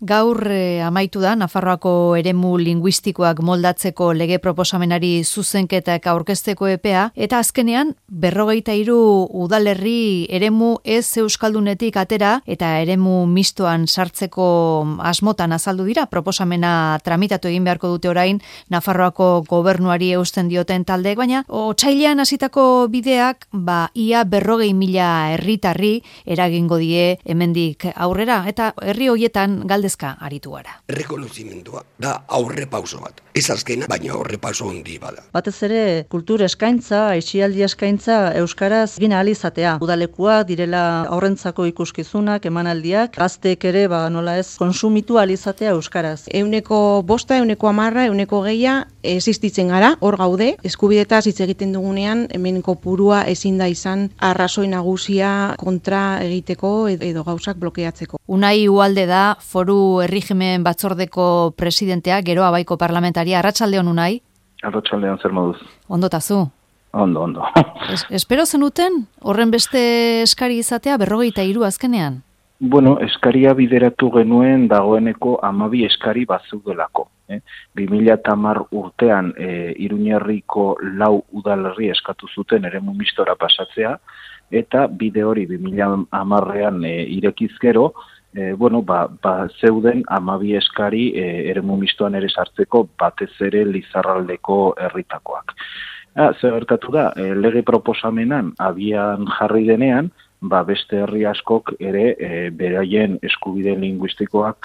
Gaur amaitu da Nafarroako eremu linguistikoak moldatzeko lege proposamenari zuzenketak aurkezteko epea, eta azkenean 43 udalerri eremu ez euskaldunetik atera eta eremu mistoan sartzeko asmotan azaldu dira. Proposamena tramitatu egin beharko dute orain Nafarroako gobernuari eusten dioten taldeek, baina otsailean hasitako bideak ia 40.000 herritarri eragingo die hemendik aurrera, eta herri hoietan galdezka aritu gara. Rekonozimendua da aurrepauso bat. Ez azkena, baina aurrepauso handi bada. Batez ere kultur eskaintza, aisialdi eskaintza euskaraz egin ahal izatea. Udalekuak direla aurrentzako ikuskizunak, emanaldiak, gazteek ere nola ez konsumitu ahal izatea euskaraz. 5%, 10%, 10%, 20% existitzen gara, hor gaude, eskubidetaz hitz egiten dugunean, hemen kopurua ezin da izan arrazoi nagusia kontra egiteko edo gauzak blokeatzeko. Unai Ualde da Foru Erregimen Batzordeko presidentea, Gero Abaiko parlamentaria. Arratsaldeon, Unai? Arratsaldeon, zer moduz? Ondotazu? Ondo. Espero zenuten horren beste eskari izatea 43 azkenean? Bueno, eskaria bideratu genuen dagoeneko 12 eskari bazeudelako. 2010 urtean Iruñerriko 4 udalerri eskatu zuten eremu mistora pasatzea, eta bide hori 2010ean irekiz gero, zeuden 12 eskari eremu mistoan ere sartzeko, batez ere Lizarraldeko herritakoak. Zer gertatu da, lege proposamenan abian jarri denean, beste herri askok ere beraien eskubide linguistikoak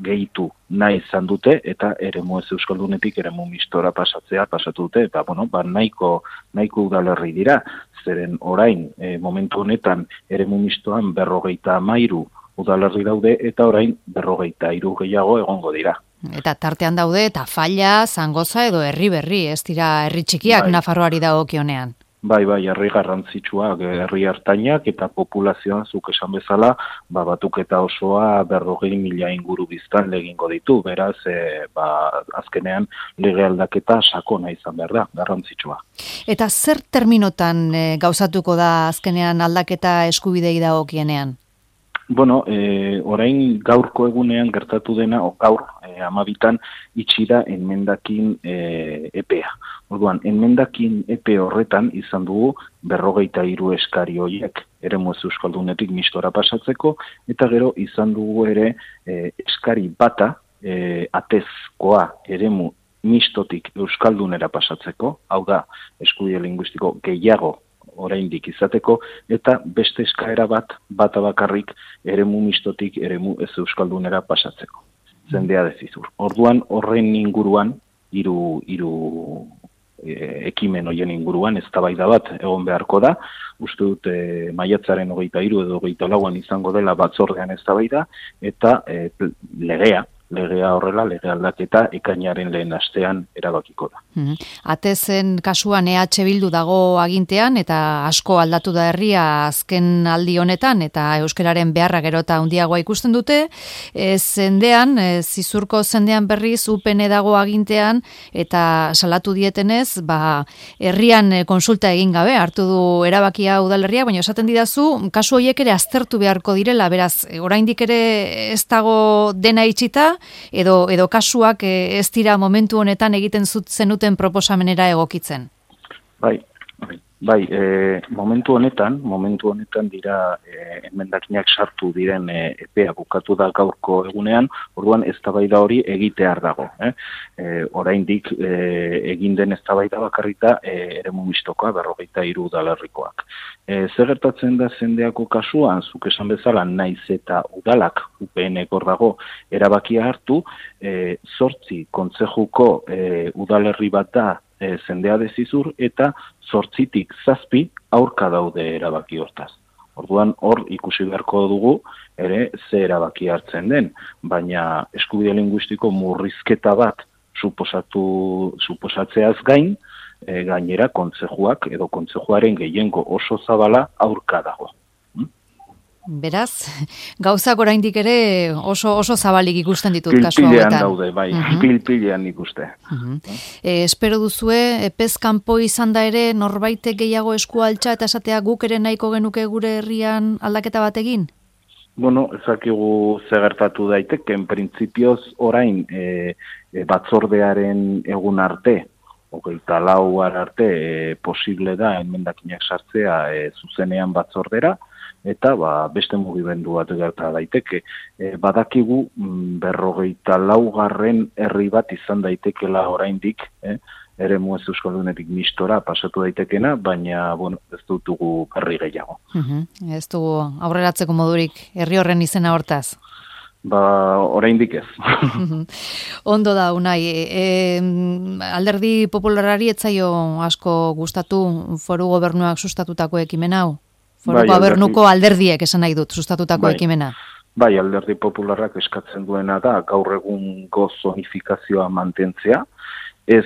gehitu nahi izan dute, eta eremu ez euskaldunetik eremu mistora pasatu dute, eta nahiko udalerri dira, zeren orain momentu honetan eremu mistoan 53 udalerri daude, eta orain 43 gehiago egongo dira. Eta tartean daude Tafalla, Zangoza edo Herri-Berri, ez dira herri txikiak Nafarroari dagokionean. Bai, herri garrantzitsuak, herri hartainak eta populazioan zuk esan bezala, batuketa osoa 40.000 inguru biztan egingo ditu, beraz, azkenean lege aldaketa sakona izan behar da, garrantzitsua. Eta zer terminotan gauzatuko da azkenean aldaketa eskubidei dagokienean? Orain gaurko egunean gertatu dena, gaur 12 itxira enmendakin epea. Orduan, enmendakin epe horretan izan dugu 43 eskari horiek eremu ez euskaldunetik mistora pasatzeko, eta gero izan dugu ere eskari bata atezkoa eremu mistotik euskaldunera pasatzeko, hau da, eskubide linguistiko gehiago oraindik izateko, eta beste eskaera bata bakarrik eremu mistotik eremu ez euskaldunera pasatzeko. Zendea dezizur. Orduan, horren inguruan, hiru ekimen horien inguruan, eztabaida bat egon beharko da. Uste dut maiatzaren 23 edo 24an izango dela batzordean eztabaida, eta legea horrela, lege aldaketa ekainaren lehen astean erabakiko da. Atezen kasuan EH Bildu dago agintean, eta asko aldatu da herria azken aldi honetan, eta euskararen beharra gero eta handiagoa ikusten dute. Zendean, Zizurko zendean berriz UPN dago agintean, eta salatu dietenez, herrian konsulta egin gabe, hartu du erabakia udalerria, baina esaten didazu, kasu horiek ere aztertu beharko direla, beraz, oraindik ere ez dago dena itxita, edo kasuak ez dira momentu honetan egiten zenuten proposamenera egokitzen? Momentu honetan dira emendakinak sartu diren epea bukatu da gaurko egunean, orduan eztabaida hori egitear dago. Oraindik egin den eztabaida bakarrita eremu mistokoa 43 udalerrikoak. Zer gertatzen da zendeako kasuan, zuk esan bezala naiz eta udalak UPN hor dago erabakia hartu, 8 kontzejuko udalerri bat da zendea dezizur, eta 8tik 7 aurka daude erabaki hortaz. Orduan hor ikusi beharko dugu ere ze erabaki hartzen den, baina eskubide linguistiko murrizketa bat suposatzeaz gain, gainera kontzejuak edo kontzejuaren gehiengo oso zabala aurka dago. Beraz, gauzak oraindik ere oso zabalik ikusten ditut kasu hauetan. Pilpilean daude, pilpilean ikuste. Espero duzue, epez kanpo izan da ere norbaitek gehiago esku altxa eta esatea guk ere nahiko genuke gure herrian aldaketa bat egin? Bueno, ezakigu ze gertatu daiteken, printzipioz orain batzordearen egun arte, 24 arte posible da emendakinak sartzea zuzenean batzordera, eta beste mugimendu bat gerta daiteke. Badakigu 54. herri bat izan daitekela oraindik, eremu ez euskaldunetik mistora pasatu daitekena, baina ez dutugu berri gehiago. Ez dugu aurreratzeko modurik herri horren izena hortaz. Oraindik ez. Ondo da, Unai. Alderdi Popularrari etzaio asko gustatu foru gobernuak sustatutako ekimen hau? Foru gobernuko alderdiek esan nahi dut sustatutako ekimena. Bai, Alderdi Popularrak eskatzen duena da gaur egungo zonifikazioa mantentzea, ez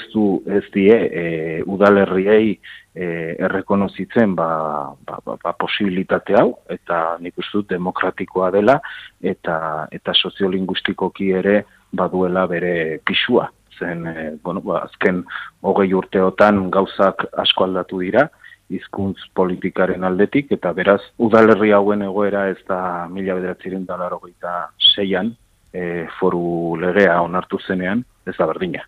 die udalerriei errekonozitzen posibilitate hau, eta nik uste dut demokratikoa dela, eta soziolinguistikoki ere baduela bere pisua. Zen, azken 20 urteotan gauzak asko aldatu dira, hizkuntz politikaren aldetik, eta beraz, udalerri hauen egoera ez da 1986an foru legea onartu zenean, ez da berdina.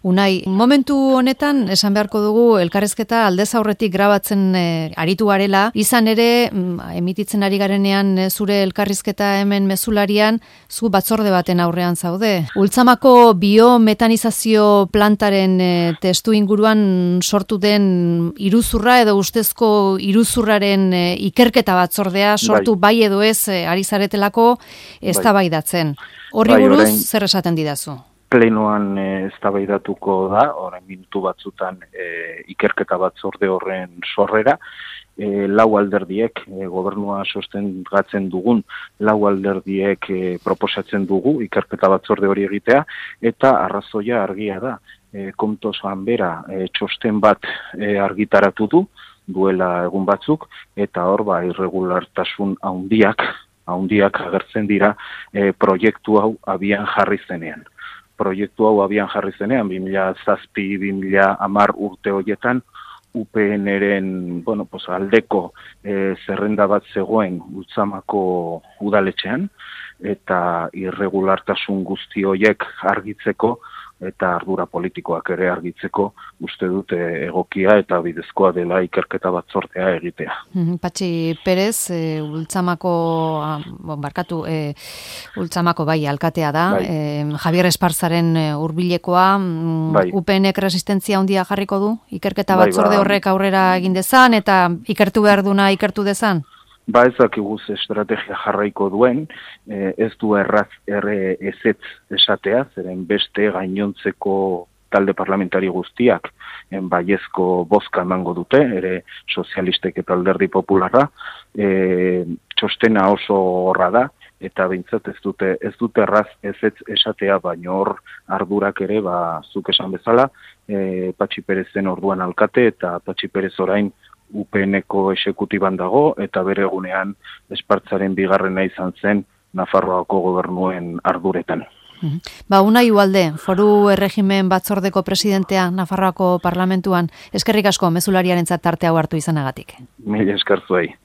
Unai, momentu honetan, esan beharko dugu, elkarrizketa aldez aurretik grabatzen aritu garela, izan ere, emititzen ari garenean zure elkarrizketa hemen mezularian, zu batzorde baten aurrean zaude. Ultzamako biometanizazio plantaren testu inguruan sortu den iruzurra edo ustezko iruzurraren ikerketa batzordea sortu bai edo ez ari zaretelako eztabaidatzen. Horri buruz, zer esaten didazu? Plenoan eztabaidatuko da, orain minutu batzutan ikerketa batzorde horren sorrera, 4 alderdiek, gobernua sostengatzen dugun, 4 alderdiek proposatzen dugu ikerketa batzorde hori egitea, eta arrazoia argia da. Kontosan bera txosten bat argitaratu duela egun batzuk, eta hor irregulartasun handiak agertzen dira proiektu hau abian jarri zenean. Proiektu hau abian jarri zenean, 2007-2010 urte horietan, UPN-eren aldeko zerrenda bat zegoen Ultzamako udaletxean, eta irregulartasun guzti horiek argitzeko, eta ardura politikoak ere argitzeko uste dute egokia eta bidezkoa dela ikerketa batzordea egitea. Patxi Perez, Ultzamako alkatea da, Javier Esparzaren hurbilekoa, UPNek resistentzia handia jarriko du, ikerketa batzorde horrek aurrera egin dezan, eta ikertu behar duna ikertu dezan? Ezakiguz estrategia jarraiko duen, ez du erraz ezetz esatea, zeren beste gainontzeko talde parlamentari guztiak baiezko bozka emango dute, ere sozialistek eta Alderdi Popularra, txostena oso horra da, eta behintzat ez dute erraz ezetz esatea, baina hor ardurak ere, zuk esan bezala, Patxi Perezen orduan alkate, eta Patxi Perez orain UPN-eko exekutiban dago, eta bere egunean Espartzaren bigarrena izan zen Nafarroako gobernuen arduretan. Unai Ugalde, foru erregimen batzordeko presidentea Nafarroako parlamentuan, eskerrik asko mezulariarentzat tarte hau hartu izanagatik. Mila esker zuei.